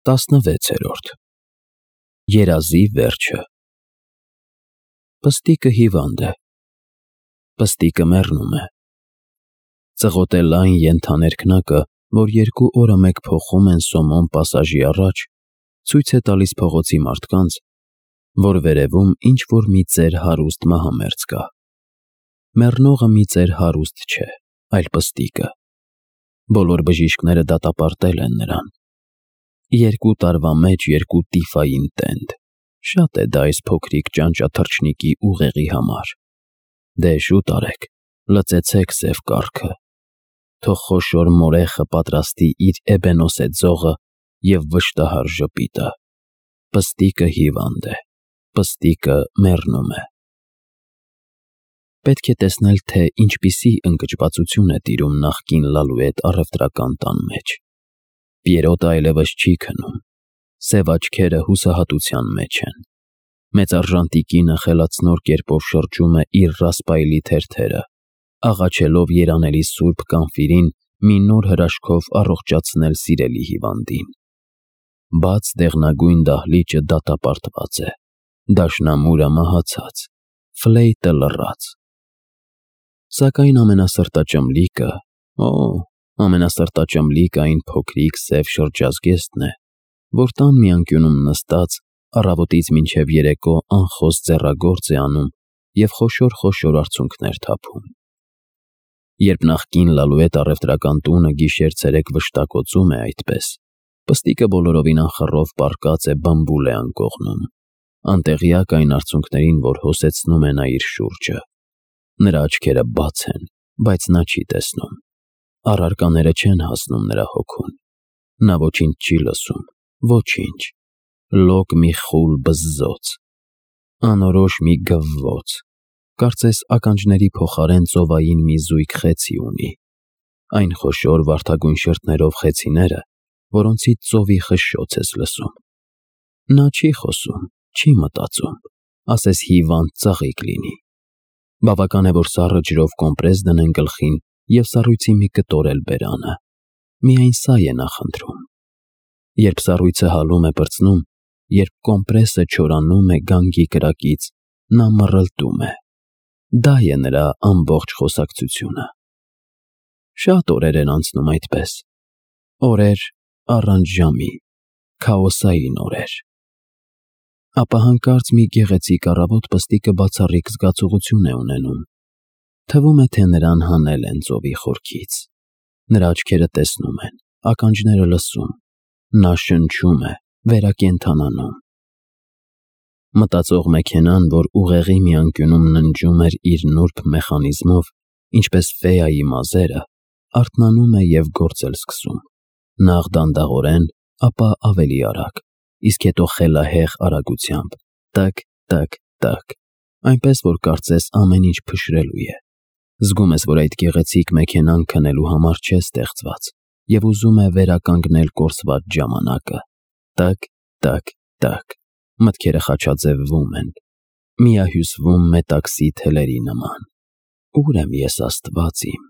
16-րդ Երազի վերջը Պստիկը հիվանդ է, պստիկը մեռնում է։ Ծղոտ է լայն ենթաներքնակը, որ 2 օրը մեկ փոխում են Սոմոն պասաժի առաջ, ցույց է տալիս փողոցի մարդկանց, որ վերևում ինչ-որ մի ծեր հարուստ մահամերձ կա։ Մեռնողը մի ծեր հարուստ չէ, այլ պստիկը։ Բոլոր բժիշկները դատապարտել են նրան։ 2 տարվա մեջ 2 տիֆային տենդ, շատ է դա այս փոքրիկ ճանճաթռչնիկի ուղեղի համար։ Դե շուտ արեք, լծեցեք սև կառքը, թող խոշոր մորեխը պատրաստի իր էբենոսե ձողը և վշտահար ժպիտը։ Պստիկը հիվանդ է, պստիկը մեռնում է։ Պետք է տեսնել, թե ինչպիսի ընկճվածություն է տիրում նախկին Լալուետ առևտրական տան մեջ։ Պիերոտը այլևս չի քնում, սև աչքերը հուսահատության մեջ են։ Մեծարժան տիկինը խելացնոր կերպով շրջում է իր ռասպայլի թերթերը, աղաչելով երանելի սուրբ Կանֆիրին մի նոր հրաշքով առողջացնել սիրելի հիվանդին։ Բաց դեղնագույն դահլիճը դատապարտված է, դաշնամուրը մահացած, ֆլեյտը լռած։ Սակայն ամենասրտաճմլիկը այն փոքրիկ սև շրջազգեստն է, որ տան մի անկյունում նստած, առավոտից մինչև երեկո անխոս ձեռագործ է անում և խոշոր արցունքներ թափում։ Երբ նախկին Լալուետ առևտրական տունը գիշեր-ցերեկ վշտակոծում է այդպես, պստիկը բոլորովին անխռով պառկած է բամբուլե անկողնում, անտեղյակ այն արցունքներին, որ հոսեցնում է նա իր շուրջը։ Նրա աչքերը բաց են, բայց նա չի տեսնում։ Առարկաները չեն հասնում նրա հոգուն։ Նա ոչինչ չի լսում, ոչինչ։ Լոկ մի խուլ բզզոց, անորոշ մի գվվոց, կարծես ականջների փոխարեն ծովային մի զույգ խեցի ունի։ Այն խոշոր վարդագույն շրթներով խեցիները, որոնցից ծովի խշշոց ես լսում։ Նա չի խոսում, չի մտածում, ասես հիվանդ ծաղիկ լինի։ Բավական է, որ սառը ջրով կոմպրես դնեն գլխին և սառույցի մի կտոր էլ բերանը։ Միայն սա է նա խնդրում։ Երբ սառույցը հալում է պրծնում, երբ կոմպրեսը չորանում է գանգի կրակից, նա մռլտում է։ Դա է նրա ամբողջ խոսակցությունը։ Շատ օրեր են անցնում այդպես։ Օրեր առանց ժամի, քաոսային օրեր։ Ապա հանկարծ մի գեղեցիկ առավոտ պստիկը բացառիկ զգացողություն է ունենում։ Թվում է, թե նրան հանել են ծովի խորքից։ Նրա աչքերը տեսնում են, ականջները լսում, նա շնչում է, վերակենդանանում։ Մտածող մեքենան, որ ուղեղի մի անկյունում ննջում էր իր նուրբ մեխանիզմով, ինչպես ֆեայի մազերը, արթնանում է և գործել սկսում։ Նախ դանդաղորեն, ապա ավելի արագ, իսկ հետո խելահեղ արագությամբ, տկ, այնպես որ կարծես ամեն ինչ փշրելու է։ Զգում ես, որ այդ գեղեցիկ մեքենան քնելու համար չէ ստեղծված և ուզում է վերականգնել կորսված ժամանակը։ Տկ, մտքերը խաչաձևվում են, միահյուսվում մետաքսի թելերի նման։ Ուր եմ ես, Աստված իմ,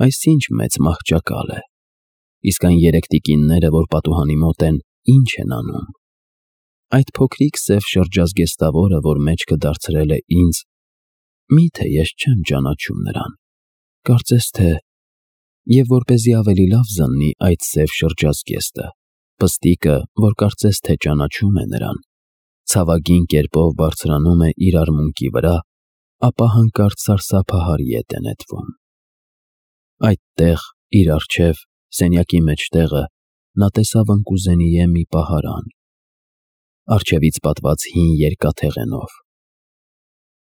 այս ինչ մեծ մահճակալ է։ Իսկ այն 3 տիկինները, որ պատուհանի մոտ են, ինչ են անում։ Այդ փոքրիկ սև շրջազգեստավորը, որ մեջքը դարձրել է ինձ, միթե ես չեմ ճանաչում նրան, կարծես թե… Եվ որպեսզի ավելի լավ զննի այդ սև շրջազգեստը, պստիկը, որ կարծես թե ճանաչում է նրան, ցավագին կերպով բարձրանում է իր արմունկի վրա, ապա հանկարծ սարսափահար ետ է նետվում։ Այդտեղ, իր առջև, սենյակի մեջտեղը, նա տեսավ ընկուզենիե մի պահարան, առջևից պատված հին երկաթեղենով։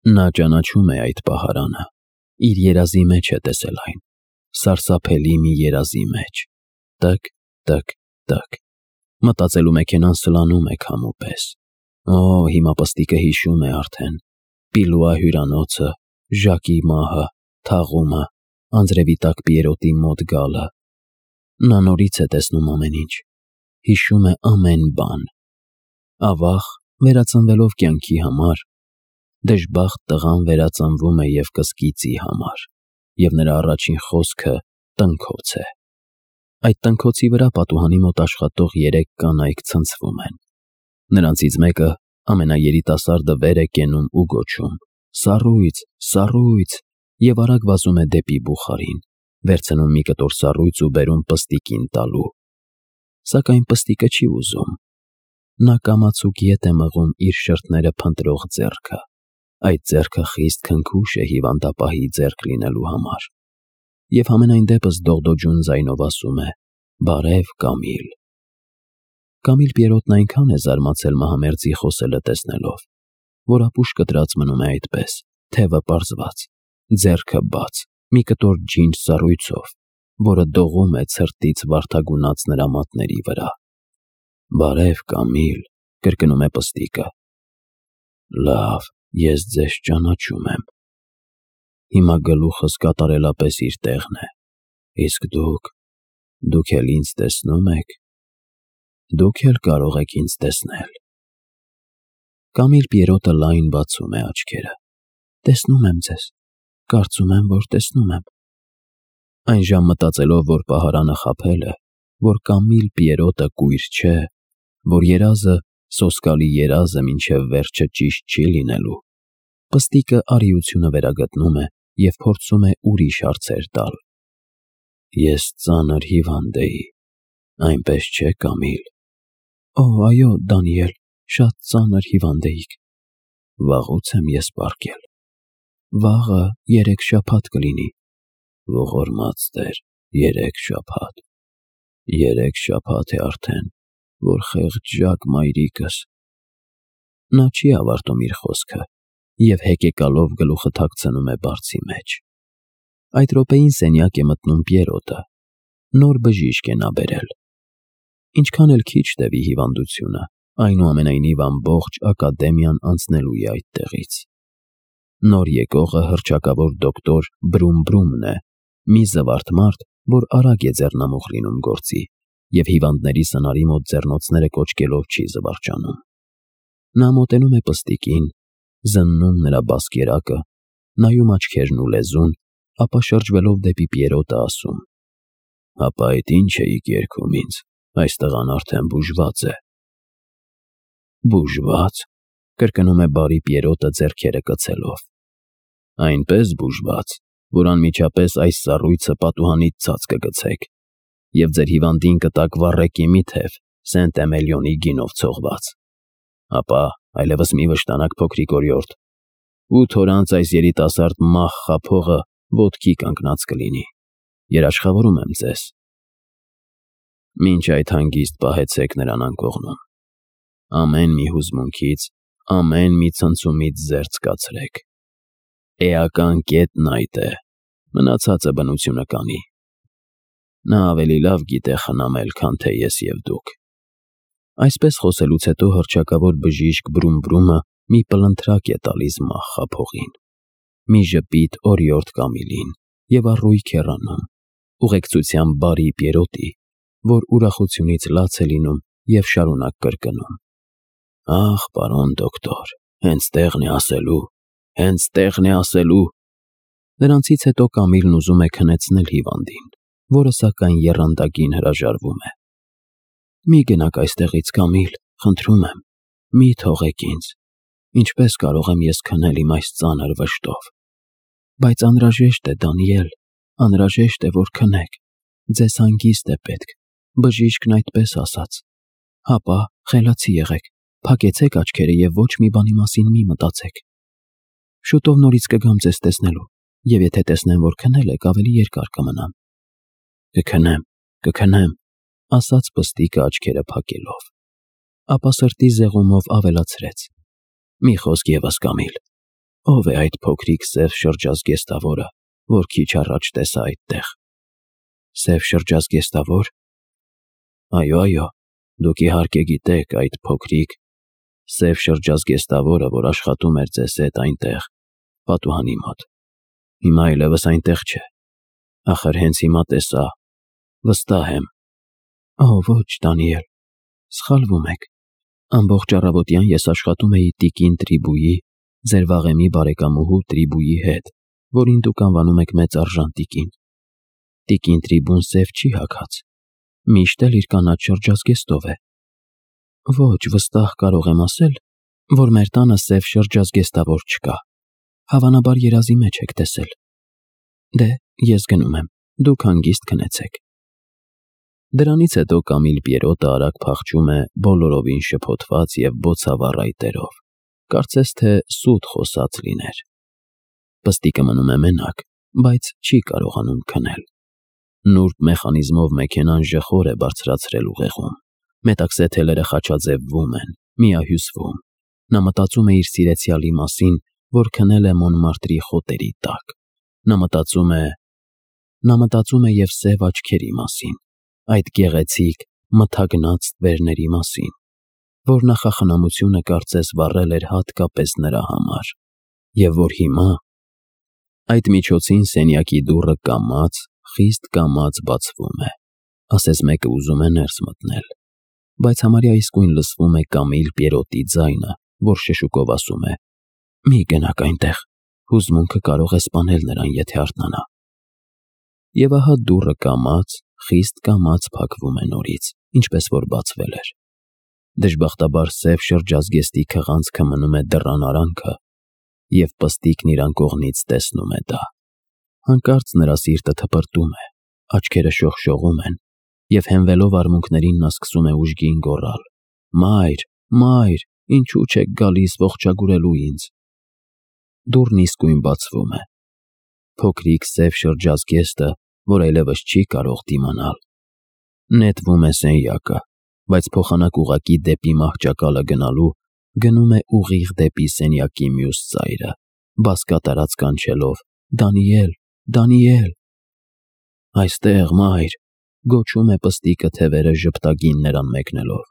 Նա ճանաչում է այդ պահարանը, իր երազի մեջ է տեսել այն, սարսափելի մի երազի մեջ։ Տկ, մտածելու մեքենան սլանում է քամու պես։ Հիմա պստիկը հիշում է արդեն, Պիլուա հյուրանոցը, Ժակի մահը, թաղումը, անձրևի տակ Պիերոտի մոտ գալը։ Նա նորից է տեսնում ամեն ինչ, հիշում է ամեն բան։ Ավաղ, վերածնվելով կյանքի համար, դժբախտ տղան վերածնվում է և կսկիծի համար, և նրա առաջին խոսքը տնքոց է։ Այդ տնքոցի վրա պատուհանի մոտ աշխատող 3 կանայք ցնցվում են։ Նրանցից մեկը ամենաերիտասարդը վեր է կենում ու գոչում. «Սառույց, սառույց» և արագ վազում է դեպի բուխարին, վերցնում մի կտոր սառույց ու բերում պստիկին տալու։ Սակայն պստիկը չի ուզում։ Նա կամացուկ ետ է մղում իր շրթները փնտրող ձեռքը։ Այդ ձեռքը խիստ քնքուշ է հիվանդապահի ձեռք լինելու համար։ Եվ համենայն դեպս դողդոջուն ձայնով ասում է. «Բարև, Կամիլ»։ Կամիլ Պիերոտն այնքան է զարմացել մահամերձի խոսելը տեսնելով, որ ապուշ կտրած մնում է այդպես, թևը պարզված, ձեռքը բաց, մի կտոր ջինջ սառույցով, որը դողում է ցրտից վարդագունած նրա մատների վրա։ «Բարև, Կամիլ», կրկնում է պստիկը։ «Լավ, ես ձեզ ճանաչում եմ։ Հիմա գլուխս կատարելապես իր տեղն է, իսկ դուք էլ ինձ տեսնո՞ւմ եք։ Դուք էլ կարող եք ինձ տեսնել»։ Կամիլ Պիերոտը լայն բացում է աչքերը։ «Տեսնում եմ ձեզ, կարծում եմ, որ տեսնում եմ»։ Այնժամ մտածելով, որ պահարանը խաբել է, որ Կամիլ Պիերոտը կույր չէ, որ երազը, սոսկալի երազը մինչև վերջը ճիշտ չի լինելու, պստիկը արիությունը վերագտնում է և փորձում է ուրիշ հարցեր տալ։ «Ես ծանր հիվանդ էի, այնպես չէ, Կամիլ»։ «Օ, այո, Դանիել, շատ ծանր հիվանդ էիք»։ «Վաղուց եմ ես պառկել»։ «Վաղը 3 շաբաթ կլինի»։ «Ողորմած Տեր, 3 շաբաթ։ 3 շաբաթ է արդեն, որ խեղճ մայրիկս»։ Նա չի ավարտում իր խոսքը և հեկեկալով գլուխը թաքցնում է բարձի մեջ։ Այդ րոպեին սենյակ է մտնում Պիերոտը։ Նոր բժիշկ է նա բերել։ Ինչքան էլ քիչ տևի հիվանդությունը, այնուամենայնիվ ամբողջ ակադեմիան անցնելու է այդտեղից։ Նոր եկողը հռչակավոր դոկտոր Բրումբրումն է, մի զվարթ մարդ, որ արագ է ձեռնամուխ լինում գործի և հիվանդների սնարի մոտ ձեռնոցները կոչկելով չի զվարճանում։ Նա մոտենում է պստիկին, զննում նրա բասկերակը, նայում աչքերն ու լեզուն, ապա շրջվելով դեպի Պիերոտը ասում. «Հապա այդ ինչ էիք երգում ինձ, այս տղան արդեն բուժված է»։ «Բուժվա՞ծ», կրկնում է բարի Պիերոտը ձեռքերը կցելով։ «Այնպես բուժված, որ անմիջապես այս սառույցը պատուհանից ցած կգցեք և ձեր հիվանդին կտաք վառեկի մի թև Սենտ-Էմելիոնի գինով ցողված։ Ապա այլևս մի վշտանաք, փոքրիկ օրիորդ, 8 օր անց այս երիտասարդ մահ խաբողը ոտքի կանգնած կլինի։ Երաշխավորում եմ ձեզ։ Մինչ այդ հանգիստ պահեցեք նրան անկողնում։ Ամեն մի հուզմունքից, ամեն մի ցնցումից զերծ կացրեք։ Էական կետն այդ է, մնացածը բնությունը կանի։ Նա ավելի լավ գիտե խնամել, քան թե ես և դուք»։ Այսպես խոսելուց հետո հռչակավոր բժիշկ Բրումբրումը մի պլնթրակ է տալիս մահ խաբողին, մի ժպիտ օրիորդ Կամիլին և առույգ հեռանում, ուղեկցությամբ բարի Պիերոտի, որ ուրախությունից լաց է լինում և շարունակ կրկնում. «Ախ, պարոն դոկտոր, հենց տեղն է ասելու, հենց տեղն է ասելու»։ Նրանցից հետո Կամիլն ուզում է քնեցնել հիվանդին, որը սակայն եռանդակին հրաժարվում է։ «Մի գնաք այստեղից, Կամիլ, խնդրում եմ, մի թողեք ինձ։ Ինչպես կարող եմ ես քնել իմ այս ծանր վշտով։ Բայց անհրաժեշտ է, Դանիել, անհրաժեշտ է, որ քնեք։ Ձեզ հանգիստ է պետք, բժիշկն այդպես ասաց։ Հապա, խելացի եղեք, փակեցեք աչքերը և ոչ մի բանի մասին մի մտածեք։ Շուտով նորից կգամ ձեզ տեսնելու, և եթե տեսնեմ, որ քնել եք, ավելի երկար կմնամ»։ Կքնեմ, ասաց պստիկը աչքերը փակելով։ Ապա սրտի զեղումով ավելացրեց. «Մի խոսք ևս, Կամիլ, ո՞վ է այդ փոքրիկ սև շրջազգեստավորը, որ քիչ առաջ տեսա այդտեղ»։ «Սև շրջազգեստավո՞ր»։ Այո, դուք իհարկե գիտեք այդ փոքրիկ սև շրջազգեստավորը, որ աշխատում էր ձեզ հետ այնտեղ, պատուհանի մոտ։ Հիմա այլևս այնտեղ չէ։ Ախր հենց հիմա տեսա, վստահ եմ։ Ոչ, Դանիել, սխալվում եք։ Ամբողջ առավոտյան ես աշխատում էի տիկին Տրիբուի, ձեր վաղեմի բարեկամուհու Տրիբուի հետ, որին դուք անվանում եք մեծ արժան տիկին։ Տիկին Տրիբուն սև չի հագած, Միշտ էլ իր կանաչ շրջազգեստով է։ Ոչ, վստահ կարող եմ ասել, որ մեր տանը սև շրջազգեստավոր չկա։ Հավանաբար երազի մեջ եք տեսել։ Դե, ես գնում եմ, դուք հանգիստ քնեցեք։ Դրանից հետո Կամիլ Պիերոտը արագ փախչում է բոլորովին շփոթված և բոցավառ այտերով, կարծես թե սուտ խոսած լիներ։ Պստիկը մնում է մենակ, բայց չի կարողանում քնել։ Նուրբ մեխանիզմով մեքենան ժխոր է բարձրացրել ուղեղում, մետաքսե թելերը խաչաձևվում են, միահյուսվում։ Նա մտածում է իր սիրեցյալի մասին, որ քնել է Մոնմարտրի խոտերի տակ։ Նա մտածում է և սև աչքերի մասին, այդ գեղեցիկ, մթագնած ստվերների մասին, որ նախախնամությունը կարծես վառել էր հատկապես նրա համար, և որ հիմա… Այդ միջոցին սենյակի դուռը կամաց, խիստ կամաց բացվում է, ասես մեկը ուզում է ներս մտնել, բայց համարյա իսկույն լսվում է Կամիլ Պիերոտի ձայնը, որ շշուկով ասում է. «Մի գնաք այնտեղ, հուզմունքը կարող է սպանել նրան, եթե արթնանա»։ Եվ ահա դուռը կամաց, խիստ կամաց փակվում է նորից, ինչպես որ բացվել էր։ Դժբախտաբար սև շրջազգեստի քղանցքը մնում է դռան արանքը, և պստիկն իր անկողնից տեսնում է դա։ Հանկարծ նրա սիրտը թպրտում է, աչքերը շողշողում են, և հենվելով արմունկներին նա սկսում է ուժգին գոռալ. «Մայր, մայր, ինչու չեք գալիս ողջագուրելու ինձ»։ Դուռն իսկույն բացվում է։ Փոքրիկ սև շրջազգեստը, որ այլևս չի կարող դիմանալ, նետվում է սենյակը, բայց փոխանակ ուղղակի դեպի մահճակալը գնալու գնում է ուղիղ դեպի սենյակի մյուս ծայրը, բազկատարած կանչելով. «Դանիել, Դանիել»։ «Այստեղ, մայր», գոչում է պստիկը թևերը ժպտագին նրան մեկնելով։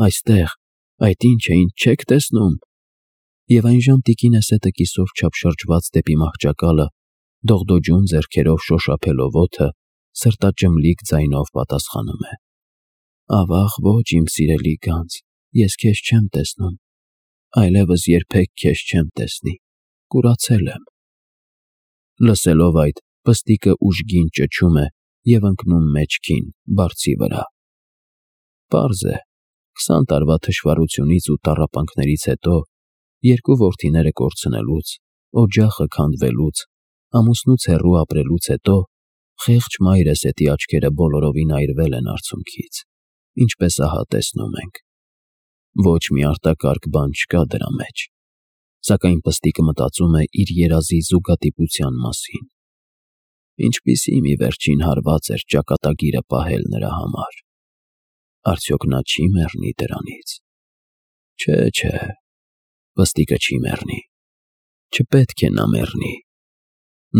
«Այստեղ, այդ ինչ է, ինչ չեք տեսնում»։ Եվ այնժամ տիկինը սետը կիսով չափ շրջված դեպի մահճակալը, դողդոջուն ձեռքերով շոշափելով օդը, սրտաճմլիկ ձայնով պատասխանում է. «Ավաղ ոչ, իմ սիրելի գանձ, ես քեզ չեմ տեսնում, այլևս երբեք քեզ չեմ տեսնի, կուրացել եմ»։ Լսելով այդ, պստիկը ուժգին ճչում է և ընկնում մեջքին, բարձի վրա։ Պարզ է, 20 տարվա թշվառությունից ու տառապանքներից հետո, երկու որդիները կորցնելուց, օջախը քանդվելուց, ամուսնուց հեռու ապրելուց հետո, խեղճ մայրը սետի աչքերը բոլորովին այրվել են արցունքից, ինչպես ահա տեսնում ենք։ Ոչ մի արտակարգ բան չկա դրա մեջ, սակայն պստիկը մտածում է իր երազի զուգատիպության մասին։ Ինչպիսի մի վերջին հարված էր ճակատագիրը պահել նրա համար։ Արդյոք նա չի մեռնի դրանից։ Չէ, պստիկը չի մեռնի, չպետք է նա մեռնի։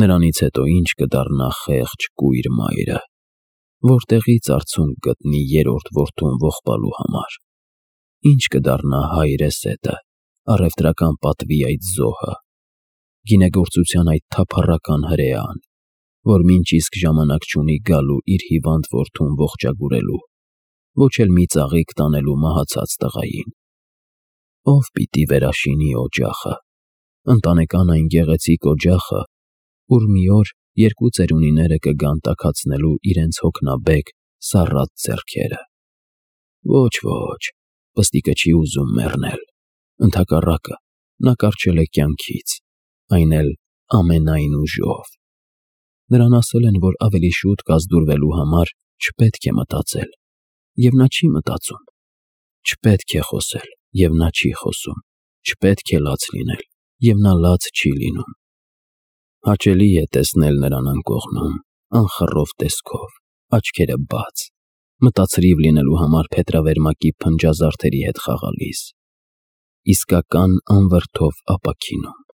Նրանից հետո ինչ կդառնա խեղճ կույր մայրը, որտեղից արցունք գտնի երրորդ որդուն ողբալու համար։ Ինչ կդառնա հայրեսետը, առևտրական պատվի այդ զոհը, գինեգործության այդ թափառական հրեան, որ մինչ իսկ ժամանակ չունի գալու իր հիվանդ որդուն ողջագուրելու, ոչ էլ մի ծաղիկ տանելու մահացած տղային։ Ով պիտի վերաշինի օջախը, ընտանեկան այն գեղեցիկ օջախը, ուր մի օր երկու ծերունիները կգան տաքացնելու իրենց հոգնաբեկ, սառած ձեռքերը։ Ոչ, պստիկը չի ուզում մեռնել, ընդհակառակը, նա կառչել է կյանքից, այն էլ ամենայն ուժով։ Նրան ասել են, որ ավելի շուտ կազդուրվելու համար չպետք է մտածել, և նա չի մտածում, չպետք է խոսել, և նա չի խոսում, չպետք է լաց լինել, և նա լաց չի լինում։ Հաճելի է տեսնել նրան անկողնում, անխռով տեսքով, աչքերը բաց, մտածրիվ լինելու համար փետրավերմակի փնջազարդերի հետ խաղալիս, իսկական անվրդով ապաքինում։